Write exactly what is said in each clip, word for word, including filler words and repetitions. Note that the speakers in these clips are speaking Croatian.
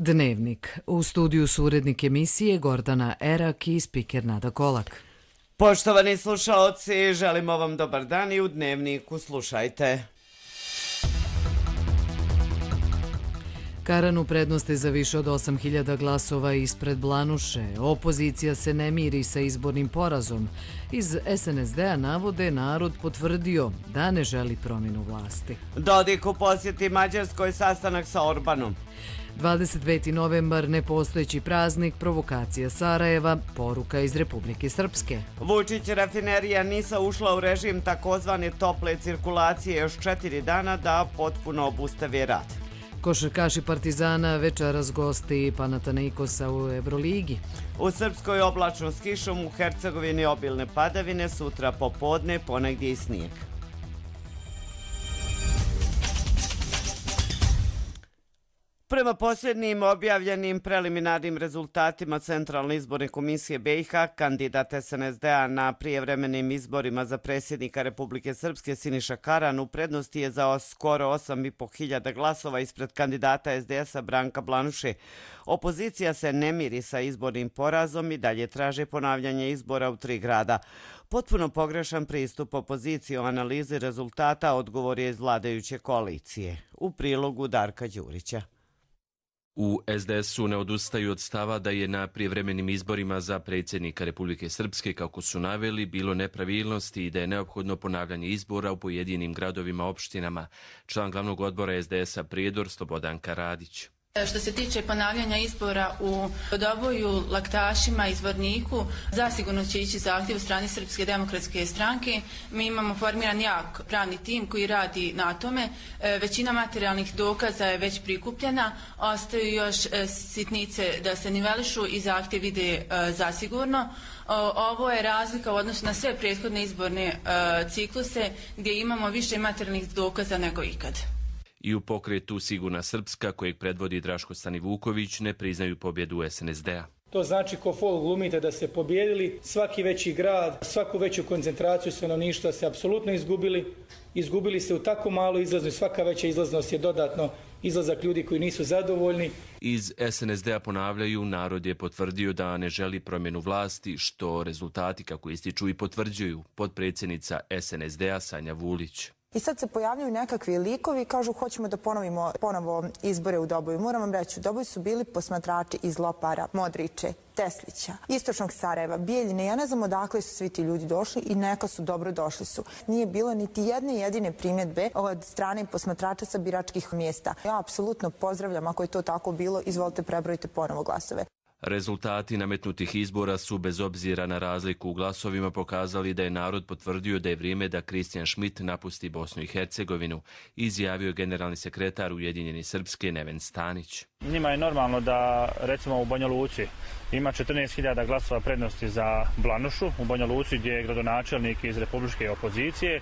Dnevnik. U studiju su urednik emisije Gordana Erak i spiker Nada Kolak. Poštovani slušaoci, želimo vam dobar dan i u Dnevniku slušajte. Karan u prednosti za više od osam hiljada glasova ispred Blanuše. Opozicija se ne miri sa izbornim porazom. Iz es en es de-a navode narod potvrdio da ne želi promjenu vlasti. Dodik u posjeti Mađarskoj, sastanak sa Orbanom. dvadeset peti novembar, nepostojeći praznik, provokacija Sarajeva, poruka iz Republike Srpske. Vučić, rafinerija Nisa ušla u režim takozvane tople cirkulacije još četiri dana da potpuno obustavi rad. Košarkaši Partizana večeras gosti Panathinaikosa u Evroligi. U Srpskoj oblačno s kišom, u Hercegovini obilne padavine, sutra popodne ponegdje i snijeg. Prema posljednjim objavljenim preliminarnim rezultatima Centralne izborne komisije be i ha, kandidat es en es de-a na prijevremenim izborima za predsjednika Republike Srpske Siniša Karan u prednosti je za skoro osam i po hiljada glasova ispred kandidata es de es-a Branka Blanuše. Opozicija se ne miri sa izbornim porazom i dalje traže ponavljanje izbora u tri grada. Potpuno pogrešan pristup opoziciji o analizi rezultata odgovor je iz vladajuće koalicije. U prilogu Darka Đurića. U es de es-u ne odustaju od stava da je na prijevremenim izborima za predsjednika Republike Srpske, kako su naveli, bilo nepravilnosti i da je neophodno ponavljanje izbora u pojedinim gradovima opštinama. Član glavnog odbora es de es-a Prijedor Slobodanka Radić. Što se tiče ponavljanja izbora u Doboju, Laktašima i Zvorniku, zasigurno će ići zahtjev u strani Srpske demokratske stranke. Mi imamo formiran jak pravni tim koji radi na tome. Većina materijalnih dokaza je već prikupljena, ostaju još sitnice da se nivelišu i zahtjev ide zasigurno. Ovo je razlika u odnosu na sve prethodne izborne cikluse gdje imamo više materijalnih dokaza nego ikad. I u pokretu Sigurna Srpska, kojeg predvodi Draško Stanivuković, ne priznaju pobjedu es en es de-a. To znači ko fol glumite da ste pobjedili, svaki veći grad, svaku veću koncentraciju stanovništva se apsolutno izgubili. Izgubili se u tako malo izlaznost, svaka veća izlaznost je dodatno izlazak ljudi koji nisu zadovoljni. Iz es en es de-a ponavljaju, narod je potvrdio da ne želi promjenu vlasti, što rezultati, kako ističu, i potvrđuju potpredsjednica es en es de-a Sanja Vulić. I sad se pojavljaju nekakvi likovi i kažu hoćemo da ponovimo ponovo izbore u Doboju. Moram vam reći, u Doboju su bili posmatrači iz Lopara, Modriče, Teslića, Istočnog Sarajeva, Bijeljine. Ja ne znam odakle su svi ti ljudi došli i neka su dobro došli su. Nije bilo niti jedne jedine primjedbe od strane posmatrača sa biračkih mjesta. Ja apsolutno pozdravljam, ako je to tako bilo, izvolite prebrojite ponovo glasove. Rezultati nametnutih izbora su, bez obzira na razliku u glasovima, pokazali da je narod potvrdio da je vrijeme da Kristijan Šmit napusti Bosnu i Hercegovinu, izjavio generalni sekretar Ujedinjeni Srpske Neven Stanić. Njima je normalno da, recimo, u Banja Luci ima četrnaest hiljada glasova prednosti za Blanušu, u Banja Luci gdje je gradonačelnik iz republičke opozicije.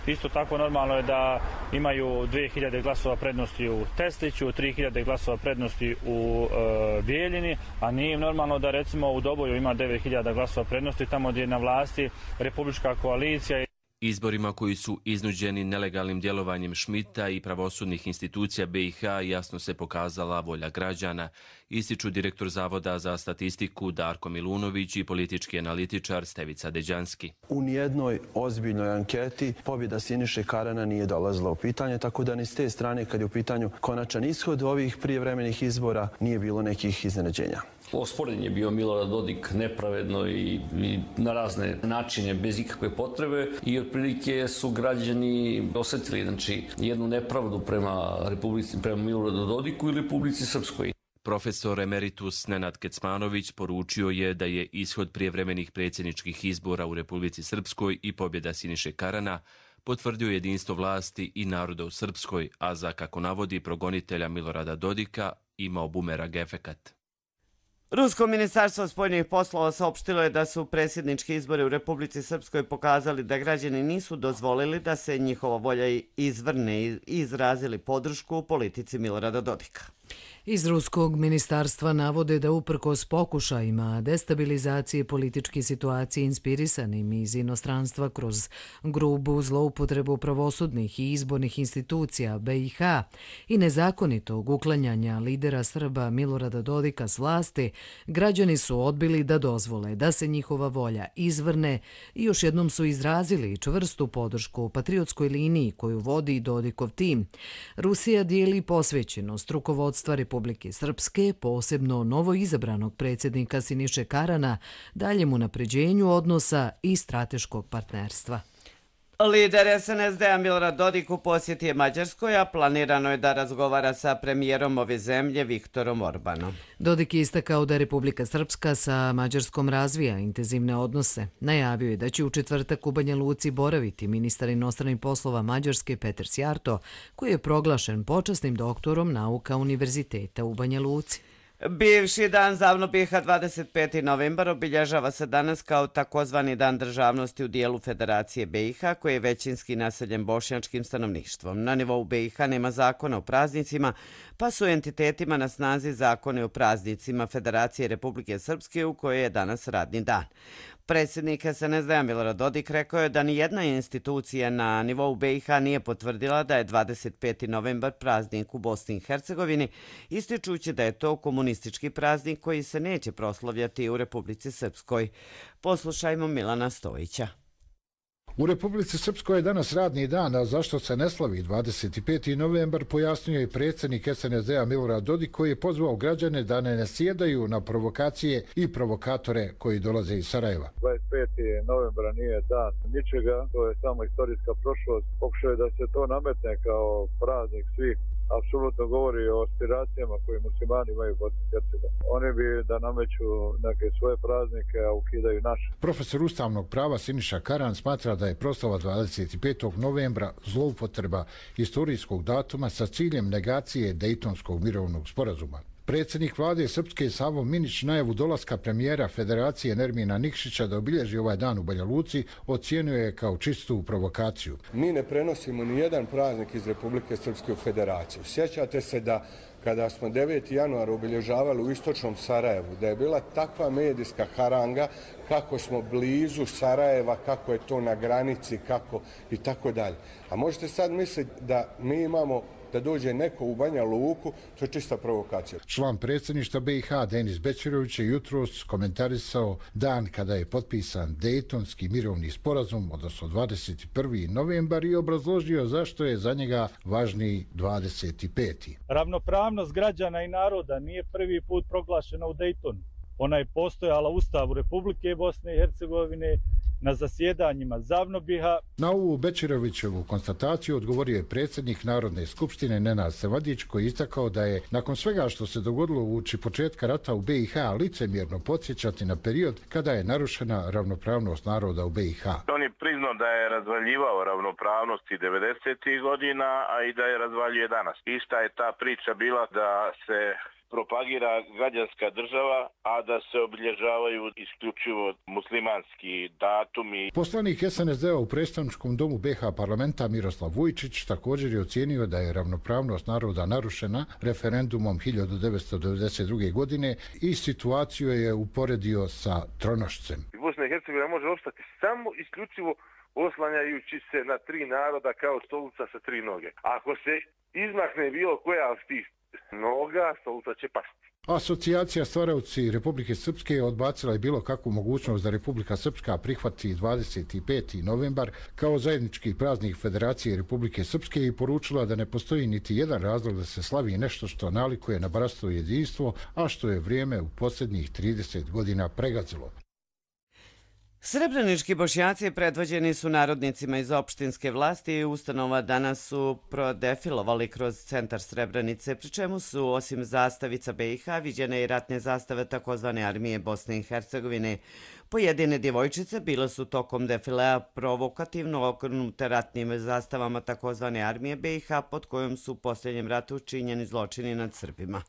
Isto tako normalno je da imaju dvije hiljade glasova prednosti u Tesliću, tri hiljade glasova prednosti u e, Bijeljini, a nije im normalno da, recimo, u Doboju ima devet hiljada glasova prednosti tamo gdje je na vlasti republička koalicija. Izborima koji su iznuđeni nelegalnim djelovanjem Šmita i pravosudnih institucija be i ha jasno se pokazala volja građana, ističu direktor Zavoda za statistiku Darko Milunović i politički analitičar Stevica Deđanski. U nijednoj ozbiljnoj anketi pobjeda Siniše Karana nije dolazila u pitanje, tako da ni s te strane, kad je u pitanju konačan ishod ovih prijevremenih izbora, nije bilo nekih iznenađenja. Osporen je bio Milorad Dodik nepravedno i, i na razne načine, bez ikakve potrebe, i otprilike su građani osjetili, znači, jednu nepravdu prema Republici, prema Miloradu Dodiku i Republici Srpskoj. Profesor emeritus Nenad Kecmanović poručio je da je ishod prijevremenih predsjedničkih izbora u Republici Srpskoj i pobjeda Siniše Karana potvrdio jedinstvo vlasti i naroda u Srpskoj, a za, kako navodi progonitelja Milorada Dodika, imao bumerang efekat. Rusko ministarstvo spoljnih poslova saopštilo je da su predsjednički izbori u Republici Srpskoj pokazali da građani nisu dozvolili da se njihova volja izvrne i izrazili podršku u politici Milorada Dodika. Iz ruskog ministarstva navode da uprkos pokušajima destabilizacije političke situacije inspirisanim iz inostranstva kroz grubu zloupotrebu pravosudnih i izbornih institucija B i H i nezakonitog uklanjanja lidera Srba Milorada Dodika s vlasti, građani su odbili da dozvole da se njihova volja izvrne i još jednom su izrazili čvrstu podršku patriotskoj liniji koju vodi Dodikov tim. Rusija dijeli posvećenost rukovodstva Republike Republike Srpske, posebno novoizabranog predsjednika Siniše Karana, daljem unapređenju odnosa i strateškog partnerstva. Lider S N S D-a Milorad Dodik u posjeti je Mađarskoj, a planirano je da razgovara sa premijerom ove zemlje Viktorom Orbanom. Dodik je istakao da Republika Srpska sa Mađarskom razvija intenzivne odnose. Najavio je da će u četvrtak u Banja Luci boraviti ministar inostranih poslova Mađarske Peter Sjarto, koji je proglašen počasnim doktorom nauka Univerziteta u Banja Luci. Bivši dan Zavnobiha dvadeset peti novembar obilježava se danas kao takozvani dan državnosti u dijelu Federacije B i H, koji je većinski naseljen bošnjačkim stanovništvom. Na nivou B i H nema zakona o praznicima, pa su entitetima na snazi zakone o praznicima Federacije Republike Srpske, u kojoj je danas radni dan. Predsjednik S N S D-a Milorad Dodik rekao je da nijedna institucija na nivou B i H nije potvrdila da je dvadeset peti novembar praznik u Bosni i Hercegovini, ističući da je to komunistički praznik koji se neće proslavljati u Republici Srpskoj. Poslušajmo Milana Stojića. U Republici Srpskoj je danas radni dan, a zašto se ne slavi dvadeset peti novembar, pojasnio je predsjednik S N S D-a Milorad Dodik, koji je pozvao građane da ne nasjedaju na provokacije i provokatore koji dolaze iz Sarajeva. dvadeset peti novembra nije dan ničega, to je samo istorijska prošlost. Pokušao je da se to nametne kao praznik svih. Apsolutno govori o aspiracijama koje muslimani imaju u Bosni i Hercegovini. Oni bi da nameću neke svoje praznike, a ukidaju naše. Profesor ustavnog prava Siniša Karan smatra da je proslava dvadeset petog novembra zloupotreba istorijskog datuma sa ciljem negacije Dejtonskog mirovnog sporazuma. Predsjednik vlade Srpske Savo Minić najavu dolaska premijera Federacije Nermina Nikšića da obilježi ovaj dan u Banja Luci ocijenio je kao čistu provokaciju. Mi ne prenosimo ni jedan praznik iz Republike Srpske u Federaciju. Sjećate se da kada smo deveti januar obilježavali u istočnom Sarajevu, da je bila takva medijska haranga kako smo blizu Sarajeva, kako je to na granici, kako i tako dalje. A možete sad misliti da mi imamo da dođe neko u Banja Luku, to je čista provokacija. Član predsjedništva B i H Denis Bećirović je jutros komentarisao dan kada je potpisan Dejtonski mirovni sporazum, odnosno dvadeset prvi novembar, i obrazložio zašto je za njega važniji dvadeset peti Ravnopravnost građana i naroda nije prvi put proglašena u Dejtonu. Ona je postojala u Ustavu Republike Bosne i Hercegovine, na zasjedanjima Zavnobiha. Na ovu Bećirovićevu konstataciju odgovorio je predsjednik Narodne skupštine Nenad Sevadić, koji je istakao da je nakon svega što se dogodilo uoči početka rata u B i H licemjerno podsjećati na period kada je narušena ravnopravnost naroda u B i H. On je priznao da je razvaljivao ravnopravnosti devedesetih godina, a i da je razvaljuje danas. Ista je ta priča bila da se propagira građanska država, a da se obilježavaju isključivo muslimanski datumi. Poslanik S N S D-a u predstavničkom domu B H parlamenta Miroslav Vujčić također je ocijenio da je ravnopravnost naroda narušena referendumom hiljadu devetsto devedeset druge. godine i situaciju je uporedio sa tronošcem. Bosna i Hercegovina može ostati samo isključivo oslanjajući se na tri naroda kao stolica sa tri noge. Ako se izmakne bilo koja od tih noga, stolica će pasti. Asocijacija stvaraoci Republike Srpske je odbacila i bilo kakvu mogućnost da Republika Srpska prihvati dvadeset peti novembar kao zajednički praznik Federacije Republike Srpske i poručila da ne postoji niti jedan razlog da se slavi nešto što nalikuje na bratstvo i jedinstvo, a što je vrijeme u posljednjih trideset godina pregazilo. Srebrenički Bošnjaci predvođeni su narodnicima iz opštinske vlasti i ustanova danas su prodefilovali kroz centar Srebrenice, pri čemu su osim zastavica B i H viđene i ratne zastave takozvane armije Bosne i Hercegovine. Pojedine djevojčice bile su tokom defilea provokativno okrenute ratnim zastavama takozvane armije B i H, pod kojom su u posljednjem ratu činjeni zločini nad Srbima.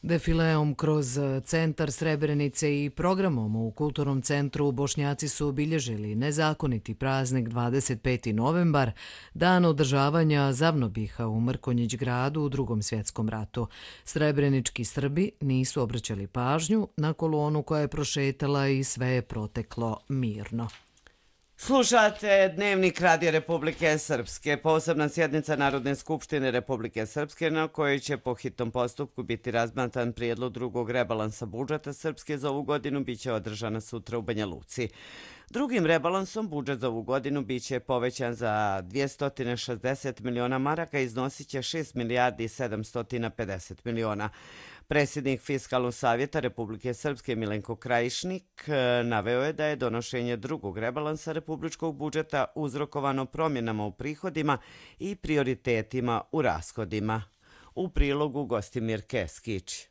Defileom kroz centar Srebrenice i programom u Kulturnom centru Bošnjaci su obilježili nezakoniti praznik dvadeset peti novembar, dan održavanja Zavnobiha u Mrkonjić gradu u Drugom svjetskom ratu. Srebrenički Srbi nisu obraćali pažnju na kolonu koja je prošetala i sve je proteklo mirno. Slušate Dnevnik Radija Republike Srpske. Posebna sjednica Narodne skupštine Republike Srpske na kojoj će po hitnom postupku biti razmatran prijedlog drugog rebalansa budžeta Srpske za ovu godinu biće održana sutra u Banja Luci. Drugim rebalansom budžet za ovu godinu biće povećan za dvjesto šezdeset miliona maraka i iznosit će šest milijardi sedamsto pedeset miliona. Predsjednik Fiskalnog savjeta Republike Srpske Milenko Krajišnik naveo je da je donošenje drugog rebalansa republičkog budžeta uzrokovano promjenama u prihodima i prioritetima u rashodima. U prilogu Gostimir Keskić.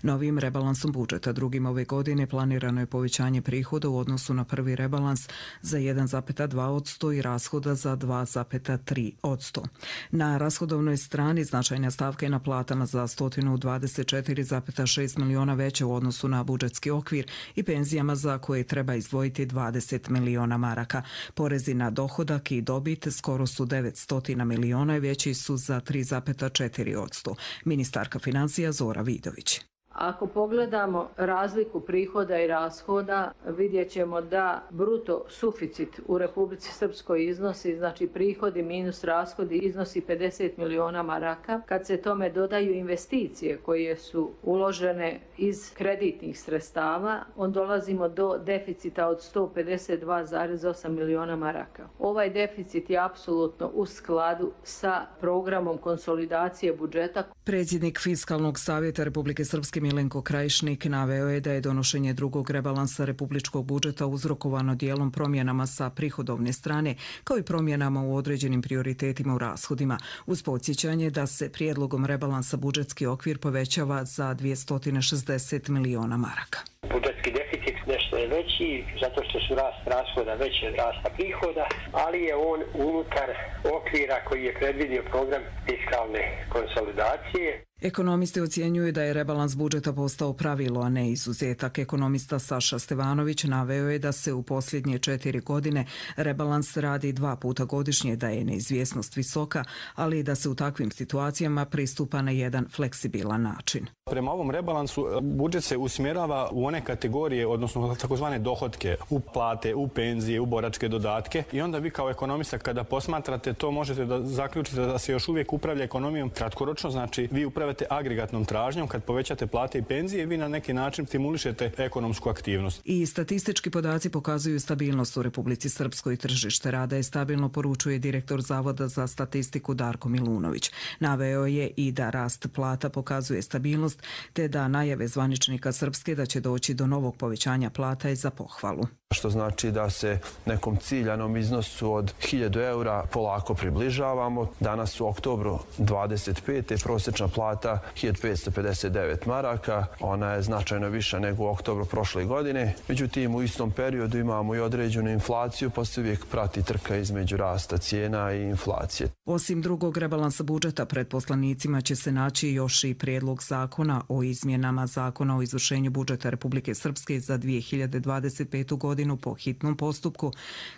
Novim rebalansom budžeta drugim ove godine planirano je povećanje prihoda u odnosu na prvi rebalans za jedan zarez dva posto i rashoda za dva zarez tri posto. Na rashodovnoj strani značajna stavka je na platama za sto dvadeset četiri zarez šest miliona veće u odnosu na budžetski okvir i penzijama za koje treba izdvojiti dvadeset miliona maraka. Porezi na dohodak i dobit skoro su devetsto miliona i veći su za tri zarez četiri posto. Ministarka financija Zora Vidović. Ako pogledamo razliku prihoda i rashoda, vidjet ćemo da bruto suficit u Republici Srpskoj iznosi, znači prihodi minus rashodi, iznosi pedeset miliona maraka. Kad se tome dodaju investicije koje su uložene iz kreditnih sredstava, on dolazimo do deficita od sto pedeset dva zarez osam miliona maraka. Ovaj deficit je apsolutno u skladu sa programom konsolidacije budžeta. Predsjednik Fiskalnog savjeta Republike Srpske Milenko Krajišnik naveo je da je donošenje drugog rebalansa republičkog budžeta uzrokovano dijelom promjenama sa prihodovne strane, kao i promjenama u određenim prioritetima u rashodima, uz podsjećanje da se prijedlogom rebalansa budžetski okvir povećava za dvjesto šezdeset miliona maraka. Budžetski deficit nešto je veći, zato što su rast rashoda veći od rasta prihoda, ali je on unutar okvira koji je predvidio program fiskalne konsolidacije. Ekonomisti ocjenjuju da je rebalans budžeta postao pravilo, a ne izuzetak. Ekonomista Saša Stevanović naveo je da se u posljednje četiri godine rebalans radi dva puta godišnje, da je neizvjesnost visoka, ali i da se u takvim situacijama pristupa na jedan fleksibilan način. Prema ovom rebalansu budžet se usmjerava u one kategorije, odnosno takozvane dohotke, u plate, u penzije, u boračke dodatke i onda vi kao ekonomista kada posmatrate to možete da zaključite da se još uvijek upravlja ekonomijom kratkoročno, znači vi upravljate agregatnom tražnjom, kad povećate plate i penzije vi na neki način stimulišete ekonomsku aktivnost. I statistički podaci pokazuju stabilnost u Republici Srpskoj. Tržište rada je stabilno, poručuje direktor Zavoda za statistiku Darko Milunović. Naveo je i da rast plata pokazuje stabilnost, te da najave zvaničnika Srpske da će doći do novog povećanja plata je za pohvalu. Što znači da se nekom ciljanom iznosu od hiljadu eura polako približavamo. Danas u oktobru dvadeset pete prosječna plata hiljadu petsto pedeset devet maraka. Ona je značajno viša nego u oktobru prošle godine. Međutim, u istom periodu imamo i određenu inflaciju, pa se uvijek prati trka između rasta cijena i inflacije. Osim drugog rebalansa budžeta, pred poslanicima će se naći još i prijedlog zakona o izmjenama Zakona o izvršenju budžeta Republike Srpske za dvije hiljade dvadeset petu godinu po hitnom postupku,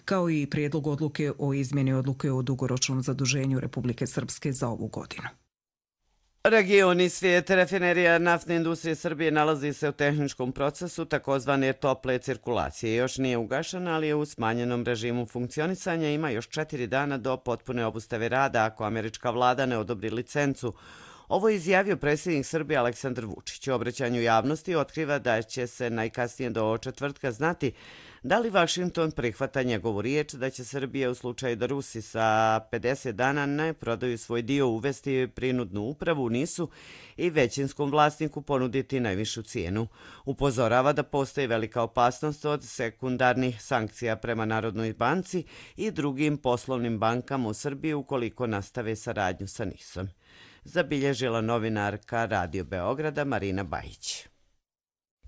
kao i prijedlog odluke o izmjeni odluke o dugoročnom zaduženju Republike Srpske za ovu godinu. Regioni svijeta, rafinerija naftne industrije Srbije nalazi se u tehničkom procesu takozvane tople cirkulacije. Još nije ugašena, ali je u smanjenom režimu funkcionisanja. Ima još četiri dana do potpune obustave rada ako američka vlada ne odobri licencu. Ovo je izjavio predsjednik Srbije Aleksandar Vučić. U obraćanju javnosti otkriva da će se najkasnije do četvrtka znati da li Vašington prihvata njegovu riječ da će Srbija u slučaju da Rusi sa pedeset dana ne prodaju svoj dio uvesti prinudnu upravu u Nisu i većinskom vlasniku ponuditi najvišu cijenu. Upozorava da postoji velika opasnost od sekundarnih sankcija prema Narodnoj banci i drugim poslovnim bankama u Srbiji ukoliko nastave saradnju sa Nisom. Zabilježila novinarka Radio Beograda Marina Bajić.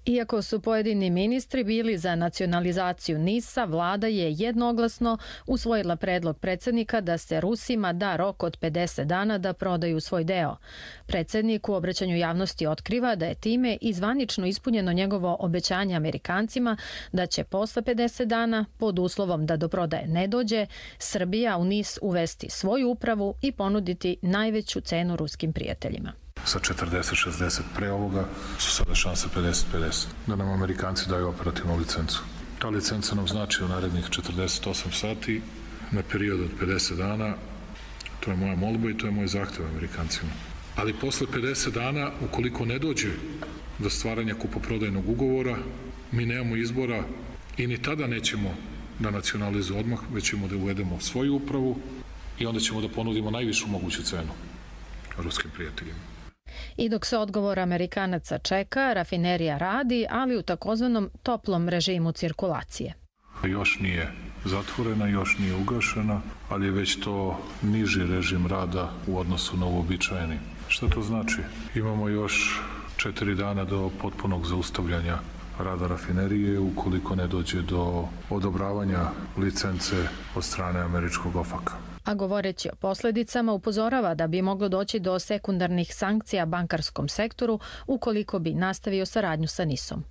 Iako su pojedini ministri bili za nacionalizaciju NIS-a, vlada je jednoglasno usvojila predlog predsjednika da se Rusima da rok od pedeset dana da prodaju svoj deo. Predsjednik u obraćanju javnosti otkriva da je time i zvanično ispunjeno njegovo obećanje Amerikancima da će posle pedeset dana, pod uslovom da do prodaje ne dođe, Srbija u NIS uvesti svoju upravu i ponuditi najveću cenu ruskim prijateljima. Sa četrdeset šezdeset pre ovoga su sada šanse pedeset pedeset da nam Amerikanci daju operativnu licencu. Ta licenca nam znači u narednih četrdeset osam sati na period od pedeset dana. To je moja molba i to je moj zahtev Amerikancima. Ali posle pedeset dana, ukoliko ne dođe do stvaranja kupoprodajnog ugovora, mi nemamo izbora i ni tada nećemo da nacionalizujemo odmah, već ćemo da uvedemo svoju upravu i onda ćemo da ponudimo najvišu moguću cenu ruskim prijateljima. I dok se odgovor Amerikanaca čeka, rafinerija radi, ali u takozvanom toplom režimu cirkulacije. Još nije zatvorena, još nije ugašena, ali je već to niži režim rada u odnosu na uobičajeni. Šta to znači? Imamo još četiri dana do potpunog zaustavljanja rada rafinerije ukoliko ne dođe do odobravanja licence od strane američkog OFAC-a. A govoreći o posljedicama upozorava da bi moglo doći do sekundarnih sankcija bankarskom sektoru ukoliko bi nastavio saradnju sa NIS-om.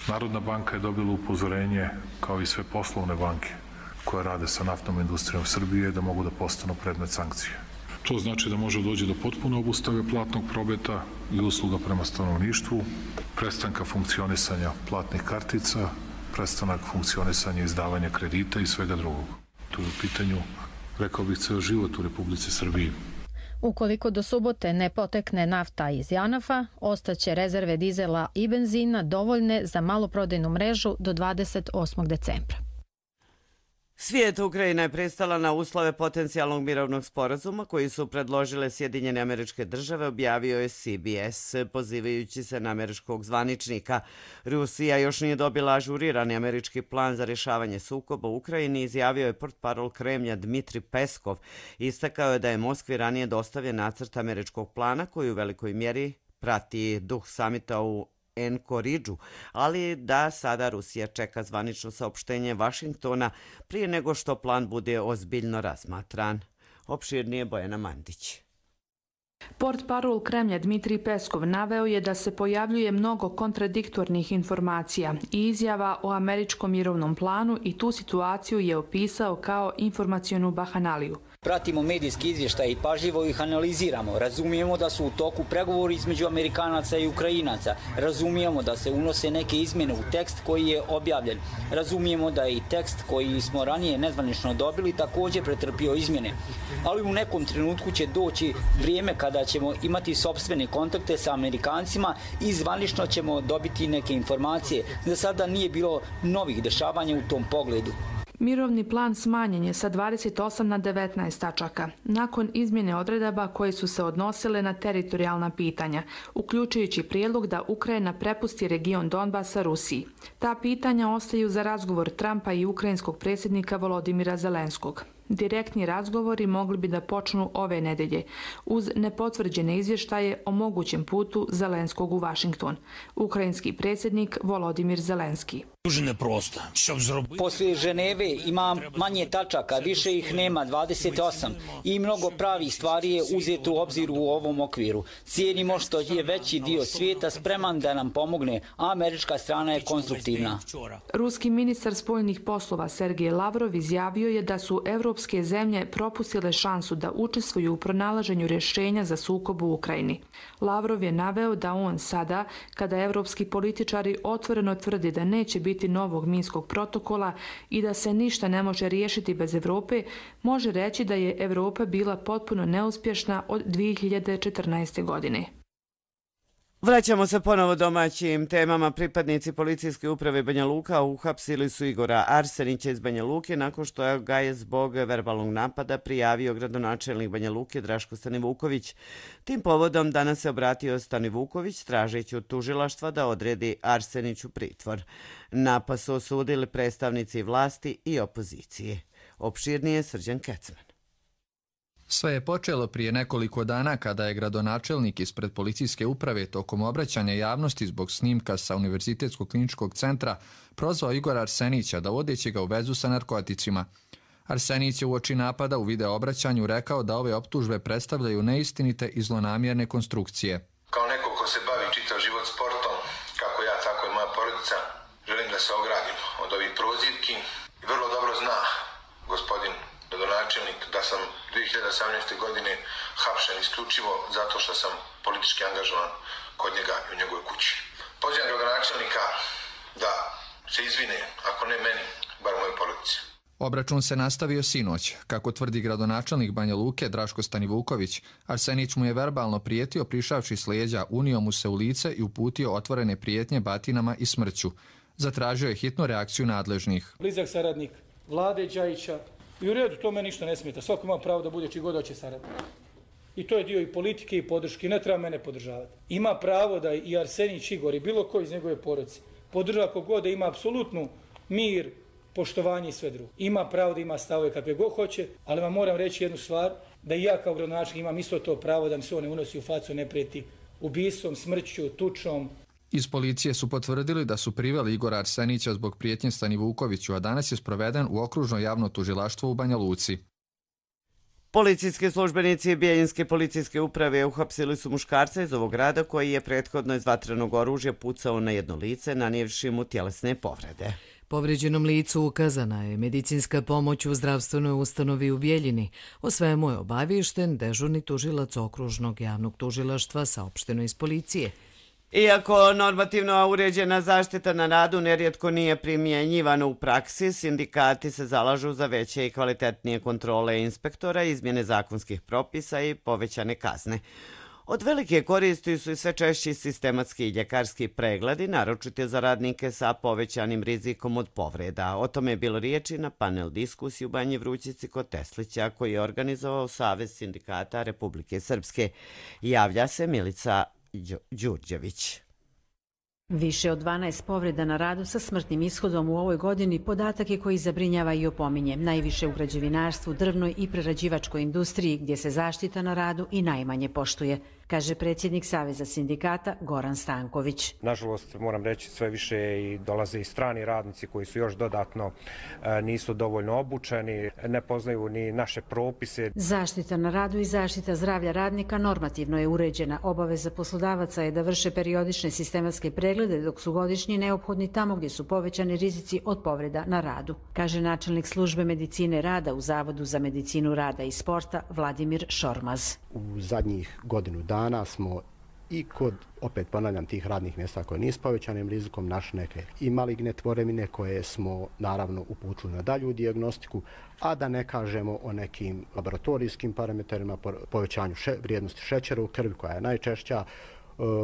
Narodna banka je dobila upozorenje, kao i sve poslovne banke koje rade sa naftnom industrijom Srbije, da mogu da postanu predmet sankcije. To znači da može doći do potpuno obustave platnog prometa i usluga prema stanovništvu, prestanka funkcionisanja platnih kartica, prestanak funkcionisanja izdavanja kredita i svega drugog. Tu je u pitanju, rekao bih, ceo život u Republici Srbiji. Ukoliko do subote ne potekne nafta iz Janafa, ostaće rezerve dizela i benzina dovoljne za maloprodajnu mrežu do dvadeset osmog decembra. Svijet Ukrajina je pristala na uslove potencijalnog mirovnog sporazuma koji su predložile Sjedinjene Američke Države, objavio je C B S, pozivajući se na američkog zvaničnika. Rusija još nije dobila ažurirani američki plan za rješavanje sukoba u Ukrajini, izjavio je portparol Kremlja Dmitri Peskov. Istakao je da je Moskvi ranije dostavljen nacrt američkog plana koji u velikoj mjeri prati duh samita u Enkoridžu, ali da sada Rusija čeka zvanično saopštenje Vašingtona prije nego što plan bude ozbiljno razmatran. Opširnije Bojana Mandić. Portparol Kremlja Dmitri Peskov naveo je da se pojavljuje mnogo kontradiktornih informacija i izjava o američkom mirovnom planu i tu situaciju je opisao kao informacionu bahanaliju. Pratimo medijski izvještaj i pažljivo ih analiziramo. Razumijemo da su u toku pregovori između Amerikanaca i Ukrajinaca. Razumijemo da se unose neke izmjene u tekst koji je objavljen. Razumijemo da je i tekst koji smo ranije nezvanično dobili također pretrpio izmjene. Ali u nekom trenutku će doći vrijeme kada ćemo imati sopstvene kontakte sa Amerikancima i zvanično ćemo dobiti neke informacije. Za sada nije bilo novih dešavanja u tom pogledu. Mirovni plan smanjen je sa dvadeset osam na devetnaest tačaka, nakon izmjene odredaba koje su se odnosile na teritorijalna pitanja, uključujući prijedlog da Ukrajina prepusti region Donbasa Rusiji. Ta pitanja ostaju za razgovor Trumpa i ukrajinskog predsjednika Volodimira Zelenskog. Direktni razgovori mogli bi da počnu ove nedelje, uz nepotvrđene izvještaje o mogućem putu Zelenskog u Vašington. Ukrajinski predsjednik Volodimir Zelenski. Poslije Ženeve ima manje tačaka, više ih nema, dvadeset osam, i mnogo pravih stvari je uzeto u obzir u ovom okviru. Cijenimo što je veći dio svijeta spreman da nam pomogne, a američka strana je konstruktivna. Ruski ministar spoljnih poslova Sergej Lavrov izjavio je da su evropske zemlje propustile šansu da učestvuju u pronalaženju rješenja za sukob u Ukrajini. Lavrov je naveo da on sada, kada evropski političari otvoreno tvrdi da neće biti novog minskog protokola i da se ništa ne može riješiti bez Evrope, može reći da je Evropa bila potpuno neuspješna od dvije hiljade četrnaeste. godine. Vraćamo se ponovo domaćim temama. Pripadnici policijske uprave Banja Luka uhapsili su Igora Arsenića iz Banja Luke nakon što ga je zbog verbalnog napada prijavio gradonačelnik Banja Luke Draško Stanivuković. Tim povodom danas se obratio Stanivuković tražeći od tužilaštva da odredi Arseniću pritvor. Napad su osudili predstavnici vlasti i opozicije. Opširnije Srđan Kecman. Sve je počelo prije nekoliko dana kada je gradonačelnik ispred policijske uprave tokom obraćanja javnosti zbog snimka sa Univerzitetskog kliničkog centra prozvao Igora Arsenića da vodeći ga u vezu sa narkoticima. Arsenić je uoči napada u video obraćanju rekao da ove optužbe predstavljaju neistinite i zlonamjerne konstrukcije. Kao neko ko se bavi čitav život sportom, kako ja, tako i moja porodica, želim da se ogradim od ovih prozivki. I vrlo dobro zna gospodin gradonačelnik da sam dvije hiljade osamnaeste. godine hapšen isključivo zato što sam politički angažovan kod njega i u njegovoj kući. Pozivam gradonačelnika da se izvine, ako ne meni, bar moje porodice. Obračun se nastavio sinoć. Kako tvrdi gradonačelnik Banja Luke Draško Stanivuković, Arsenić mu je verbalno prijetio prišavši s leđa, unio mu se u lice i uputio otvorene prijetnje batinama i smrću. Zatražio je hitnu reakciju nadležnih. Blizak saradnik Vlade Đajića i u redu, to me ništa ne smeta. Svako ima pravo da bude čiji god hoće saradnik. I to je dio i politike i podrške. Ne treba mene podržavati. Ima pravo da i Arsenić Igor i bilo ko iz njegove porodice podržava kogod da ima apsolutnu mir, poštovanje i sve drugo. Ima pravo da ima stavove kakve god hoće, ali vam moram reći jednu stvar, da i ja kao gradonačelnik imam isto to pravo da mi se on ne unosi u facu, ne prijeti ubistvom, smrću, tučom. Iz policije su potvrdili da su priveli Igora Arsenića zbog prijetnje Stanivukoviću, a danas je sproveden u okružno javno tužilaštvo u Banja Luci. Policijski službenici Bijeljinske policijske uprave uhapsili su muškarca iz ovog grada koji je prethodno iz vatrenog oružja pucao na jedno lice, nanijevši mu tjelesne povrede. Povređenom licu ukazana je medicinska pomoć u zdravstvenoj ustanovi u Bijeljini. O svemu je obaviješten dežurni tužilac okružnog javnog tužilaštva, saopšteno iz policije. Iako normativno uređena zaštita na radu nerijetko nije primjenjivana u praksi, sindikati se zalažu za veće i kvalitetnije kontrole inspektora, izmjene zakonskih propisa i povećane kazne. Od velike koristi su i sve češći sistematski i ljekarski pregledi, naročito za radnike sa povećanim rizikom od povreda. O tome je bilo riječi na panel diskusiji u Banji Vrućici kod Teslića, koji je organizovao Savez sindikata Republike Srpske. Javlja se Milica Đurđević. Više od dvanaest povreda na radu sa smrtnim ishodom u ovoj godini podatak je koji zabrinjava i opominje. Najviše u građevinarstvu, drvnoj i prerađivačkoj industriji, gdje se zaštita na radu i najmanje poštuje, kaže predsjednik Saveza sindikata Goran Stanković. Nažalost, moram reći, sve više i dolaze i strani radnici koji su još dodatno nisu dovoljno obučeni, ne poznaju ni naše propise. Zaštita na radu i zaštita zdravlja radnika normativno je uređena. Obaveza poslodavaca je da vrše periodične sistematske preglede, dok su godišnji neophodni tamo gdje su povećani rizici od povreda na radu, kaže načelnik službe medicine rada u Zavodu za medicinu rada i sporta Vladimir Šormaz. U zadnjih godinu dana smo i kod, opet ponavljam, tih radnih mjesta koje nisu povećanim rizikom našli neke i maligne tvorevine koje smo naravno uputili na dalju dijagnostiku, a da ne kažemo o nekim laboratorijskim parametrima, povećanju še, vrijednosti šećera u krvi koja je najčešća,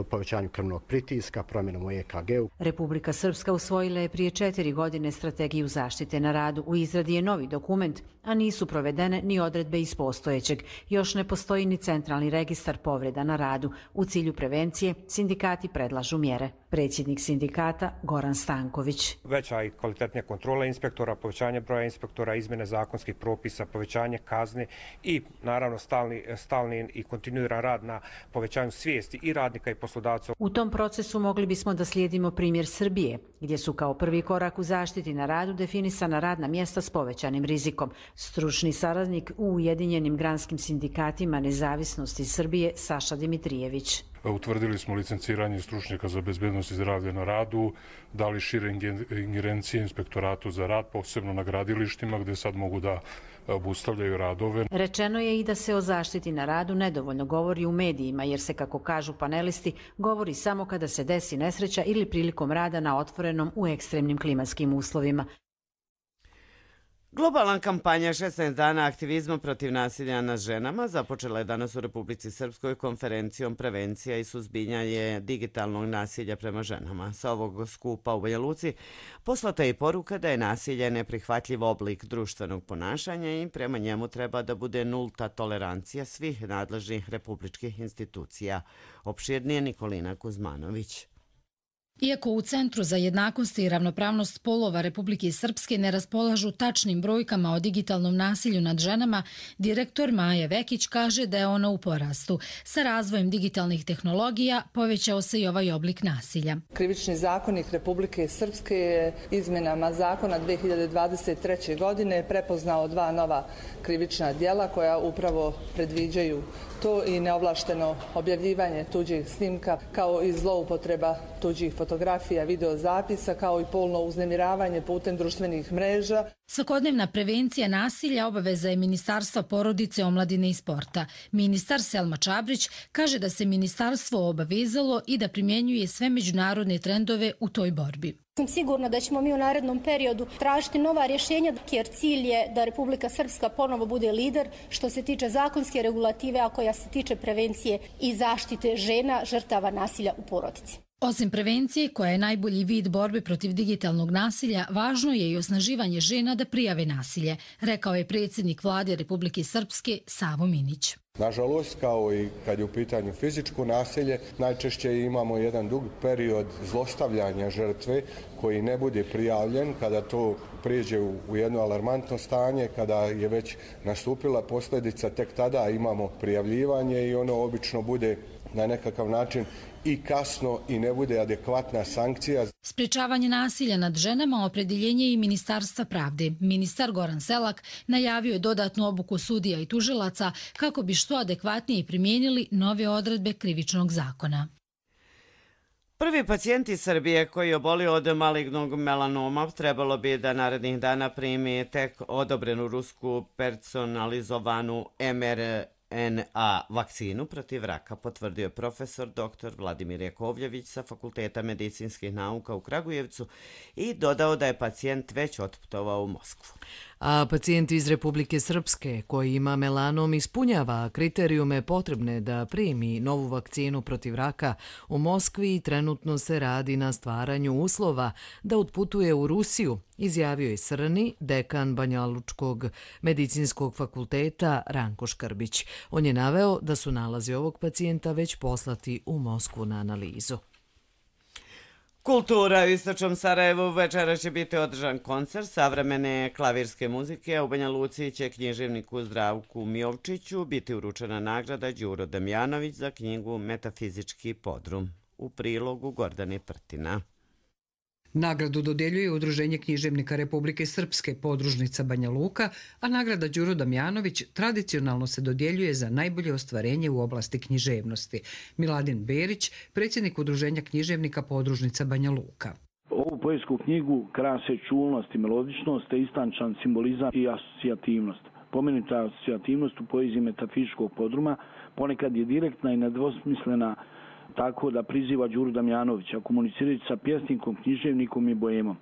povećanju krvnog pritiska, promjenom u E K G-u. Republika Srpska usvojila je prije četiri godine strategiju zaštite na radu. U izradi je novi dokument, a nisu provedene ni odredbe iz postojećeg. Još ne postoji ni centralni registar povreda na radu. U cilju prevencije sindikati predlažu mjere. Predsjednik sindikata Goran Stanković. Veća i kvalitetnija kontrola inspektora, povećanje broja inspektora, izmjene zakonskih propisa, povećanje kazne i naravno stalni, stalni i kontinuiran rad na povećanju svijesti i radnika i poslodavca. U tom procesu mogli bismo da slijedimo primjer Srbije, gdje su kao prvi korak u zaštiti na radu definisana radna mjesta s povećanim rizikom. Stručni saradnik u Ujedinjenim granskim sindikatima nezavisnosti Srbije Saša Dimitrijević. Utvrdili smo licenciranje stručnjaka za bezbednost i zdravlje na radu, dali šire ingerencije inspektoratu za rad, posebno na gradilištima gdje sad mogu da obustavljaju radove. Rečeno je i da se o zaštiti na radu nedovoljno govori u medijima, jer se, kako kažu panelisti, govori samo kada se desi nesreća ili prilikom rada na otvorenom u ekstremnim klimatskim uslovima. Globalna kampanja šesnaest dana aktivizma protiv nasilja nad ženama započela je danas u Republici Srpskoj konferencijom Prevencija i suzbijanje digitalnog nasilja prema ženama. Sa ovog skupa u Banja Luci poslata je poruka da je nasilje neprihvatljiv oblik društvenog ponašanja i prema njemu treba da bude nulta tolerancija svih nadležnih republičkih institucija. Opširnije Nikolina Kuzmanović. Iako u Centru za jednakost i ravnopravnost polova Republike Srpske ne raspolažu tačnim brojkama o digitalnom nasilju nad ženama, direktor Maja Vekić kaže da je ono u porastu. Sa razvojem digitalnih tehnologija povećao se i ovaj oblik nasilja. Krivični zakonik Republike Srpske je izmjenama zakona dve hiljade dvadeset treće. godine prepoznao dva nova krivična djela koja upravo predviđaju to i neovlašteno objavljivanje tuđih snimka kao i zloupotreba tuđih fotografija, videozapisa kao i polno uznemiravanje putem društvenih mreža. Svakodnevna prevencija nasilja obaveza je Ministarstva porodice, omladine i sporta. Ministar Selma Čabrić kaže da se ministarstvo obavezalo i da primjenjuje sve međunarodne trendove u toj borbi. Sam sigurna da ćemo mi u narednom periodu tražiti nova rješenja jer cilj je da Republika Srpska ponovo bude lider što se tiče zakonske regulative, a koja se tiče prevencije i zaštite žena žrtava nasilja u porodici. Osim prevencije, koja je najbolji vid borbe protiv digitalnog nasilja, važno je i osnaživanje žena da prijave nasilje, rekao je predsjednik Vlade Republike Srpske Savo Minić. Nažalost, kao i kad je u pitanju fizičko nasilje, najčešće imamo jedan dug period zlostavljanja žrtve koji ne bude prijavljen. Kada to prijeđe u jedno alarmantno stanje, kada je već nastupila posljedica, tek tada imamo prijavljivanje i ono obično bude na nekakav način i kasno i ne bude adekvatna sankcija. Sprečavanje nasilja nad ženama opredjeljenje i Ministarstva pravde. Ministar Goran Selak najavio je dodatnu obuku sudija i tužilaca kako bi što adekvatnije primijenili nove odredbe krivičnog zakona. Prvi pacijent iz Srbije koji je obolio od malignog melanoma trebalo bi da narednih dana primi tek odobrenu rusku personalizovanu em er en a vakcinu protiv raka, potvrdio je profesor doktor Vladimir Jakovljević sa Fakulteta medicinskih nauka u Kragujevcu i dodao da je pacijent već otputovao u Moskvu. A pacijent iz Republike Srpske koji ima melanom ispunjava kriterijume potrebne da primi novu vakcinu protiv raka u Moskvi i trenutno se radi na stvaranju uslova da otputuje u Rusiju, izjavio je Srni, dekan Banjalučkog medicinskog fakulteta Ranko Škrbić. On je naveo da su nalazi ovog pacijenta već poslati u Moskvu na analizu. Kultura u istočnom Sarajevu. Večera će biti održan koncert savremene klavirske muzike. U Banja Luci će književniku Zdravku Mijovčiću biti uručena nagrada Đuro Damjanović za knjigu Metafizički podrum. U prilogu Gordane Prtina. Nagradu dodjeljuje Udruženje književnika Republike Srpske podružnica Banja Luka, a nagrada Đuro Damjanović tradicionalno se dodjeljuje za najbolje ostvarenje u oblasti književnosti. Miladin Berić, predsjednik Udruženja književnika podružnica Banja Luka. Ovu poetsku knjigu krase čulnost i melodičnost, te istančan simbolizam i asocijativnost. Pomenuta asocijativnost u poeziji metafizičkog podruma ponekad je direktna i nedvosmislena, tako da priziva Đuru Damjanovića, komunicirajući sa pjesnikom, književnikom i boemom.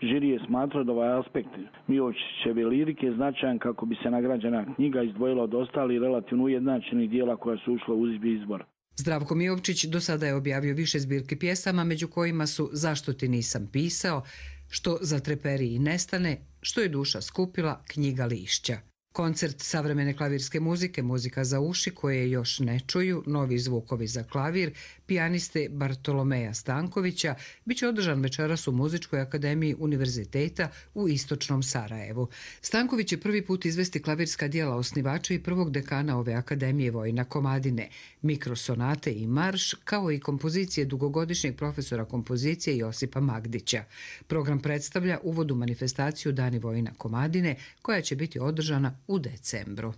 Žiri je smatrao da ovaj aspekt Mijovčićeve lirike je značajan kako bi se nagrađena knjiga izdvojila od ostalih relativno ujednačenih dijela koja su ušla u izbor. Zdravko Mijovčić do sada je objavio više zbirki pjesama, među kojima su Zašto ti nisam pisao, Što zatreperi i nestane, Što je duša skupila, Knjiga lišća. Koncert savremene klavirske muzike, muzika za uši koje još ne čuju, novi zvukovi za klavir, pijaniste Bartolomeja Stankovića, bit će održan večeras u Muzičkoj akademiji Univerziteta u istočnom Sarajevu. Stanković će prvi put izvesti klavirska dijela osnivača i prvog dekana ove akademije Vojina Komadine, mikrosonate i marš, kao i kompozicije dugogodišnjeg profesora kompozicije Josipa Magdića. Program predstavlja uvod u manifestaciju Dani Vojina Komadine, koja će biti održana u decembru.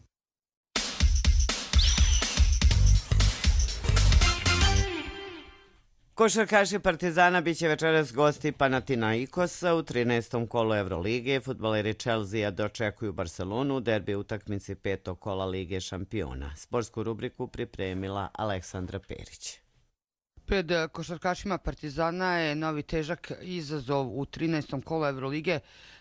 Košarkaši Partizana biće večeras gosti Panathinaikosa u trinaestom kolu Evrolige. Fudbaleri Chelsea dočekuju Barcelonu u derbi utakmici petog kola Lige šampiona. Sportsku rubriku pripremila Aleksandra Perić. Pred košarkašima Partizana je novi težak izazov u trinaestom kolu Evrolige.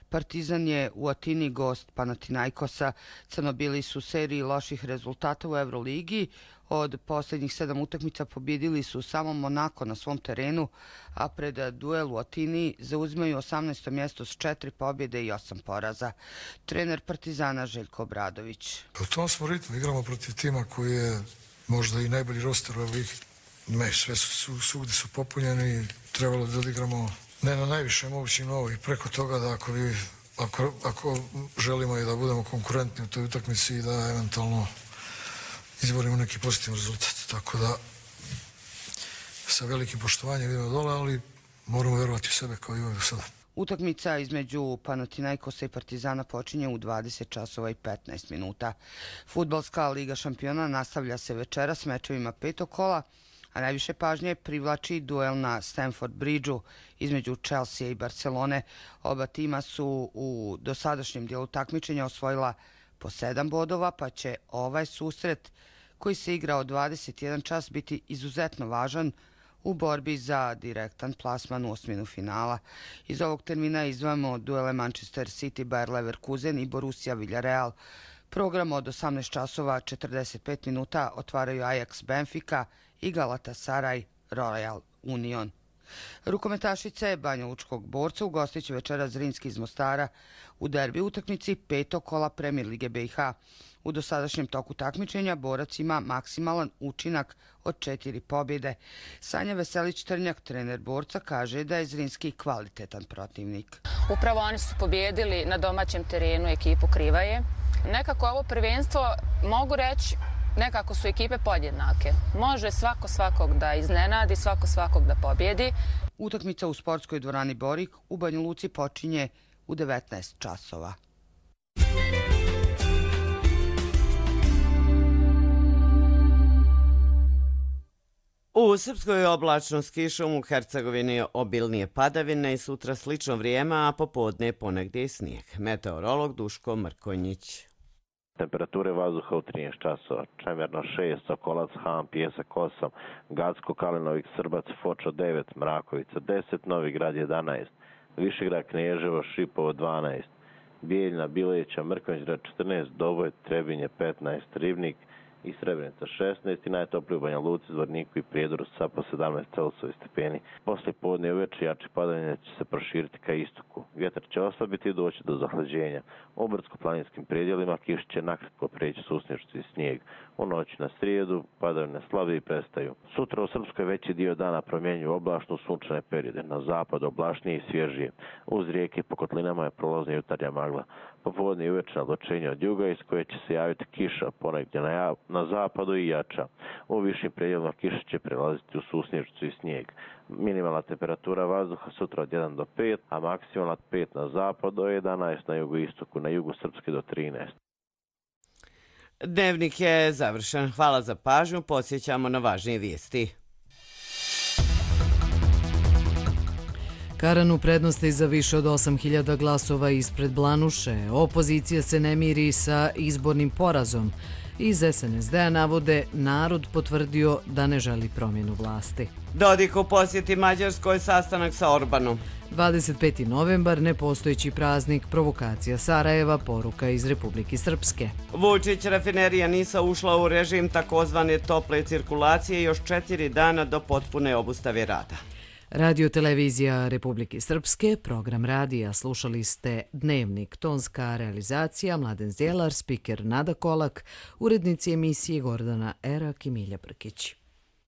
Partizan je u Atini gost Panathinaikosa. Crnobili su u seriji loših rezultata u Evroligi. Od posljednjih sedam utakmica pobjedili su samo Monako na svom terenu, a pred duel u Atini zauzimaju osamnaesto mjesto s četiri pobjede i osam poraza. Trener Partizana Željko Obradović. U tom smo ritmu igramo protiv tima koji je možda i najbolji roster u Evroligi. Me, sve su, svugdje su popunjeni i trebalo da odigramo ne na najviše mogućem nivou i preko toga da ako, bi, ako, ako želimo i da budemo konkurentni u toj utakmici i da eventualno izborimo neki pozitivan rezultat. Tako da sa velikim poštovanjem idemo dole, ali moramo vjerovati u sebe kao i uvijek do sada. Utakmica između Panathinaikosa i Partizana počinje u dvadeset časova i petnaest minuta. Fudbalska liga šampiona nastavlja se večera s mečevima petog kola, a najviše pažnje privlači duel na Stamford Bridgeu između Chelsea i Barcelone. Oba tima su u dosadašnjem dijelu takmičenja osvojila po sedam bodova, pa će ovaj susret koji se igra od dvadeset jedan čas biti izuzetno važan u borbi za direktan plasman u osminu finala. Iz ovog termina izdvajamo duele Manchester City, Bayer Leverkusen i Borussia Villarreal. Program od osamnaest časova četrdeset pet minuta otvaraju Ajax Benfica i Galatasaray Royal Union. Rukometašice Banjalučkog Borca ugostit će večera Zrinski iz Mostara u derbi utakmici petog kola Premier Lige B i H. U dosadašnjem toku takmičenja Borac ima maksimalan učinak od četiri pobjede. Sanja Veselić-Trnjak, trener Borca, kaže da je Zrinski kvalitetan protivnik. Upravo oni su pobjedili na domaćem terenu ekipu Krivaje. Nekako ovo prvenstvo, mogu reći, nekako su ekipe podjednake. Može svako svakog da iznenadi, svako svakog da pobjedi. Utakmica u sportskoj dvorani Borik u Banja Luci počinje u devetnaest časova. U Srpskoj je oblačno s kišom, u Hercegovini obilnije padavine i sutra slično vrijeme, a popodne ponegdje i snijeg. Meteorolog Duško Mrkonjić. Temperature vazduha u trinaest časova. Čemerno šest, Sokolac, Han, Pjesak osam, Gacko, Kalinovik, Srbac, Foča devet, Mrakovica deset, Novi Grad jedanaest, Višegrad, Kneževo, Šipovo dvanaest, Bijeljna, Bileća, Mrkonjić četrnaest, Doboj, Trebinje petnaest, Ribnik i Srebrenica šesnaest i najtoplije u Banja Luci, Zvorniku i Prijedoru sa po sedamnaest Celsijevi stepeni. Poslije podne i uveče jače padavine će se proširiti ka istoku. Vjetar će oslabiti i doći do zahlađenja. U brdsko-planinskim predjelima kiš će nakratko preći susnješci i snijeg. U noći na srijedu padavine slabije i prestaju. Sutra u Srpskoj veći dio dana promjenjuju oblačno sunčane periode. Na zapadu oblašnije i svježije. Uz rijeke po kotlinama je prolazna jutarnja magla. Popodne i uveče naglačenje od juga iz koje će se javiti kiša ponegdje na, ja, na zapadu i jača. U višim predjelima kiša će prelaziti u susnješcu i snijeg. Minimalna temperatura vazduha sutra od jedan do pet, a maksimalna od pet na zapadu do jedanaest na jugoistoku, na jugu Srpske do trinaest. Dnevnik je završen. Hvala za pažnju. Podsjećamo na važnije vijesti. Karan u prednosti za više od osam hiljada glasova ispred Blanuše. Opozicija se ne miri sa izbornim porazom. Iz es en es de-a navode narod potvrdio da ne želi promjenu vlasti. Dodik u posjeti Mađarskoj, sastanak sa Orbanom. dvadeset peti novembar, nepostojeći praznik, provokacija Sarajeva, poruka iz Republike Srpske. Vučić, rafinerija Nisa ušla u režim takozvane tople cirkulacije još četiri dana do potpune obustave rada. Radio televizija Republike Srpske, program radija, slušali ste Dnevnik, tonska realizacija Mladen Zjelar, spiker Nada Kolak, urednici emisije Gordana Erak i Milja Brkić.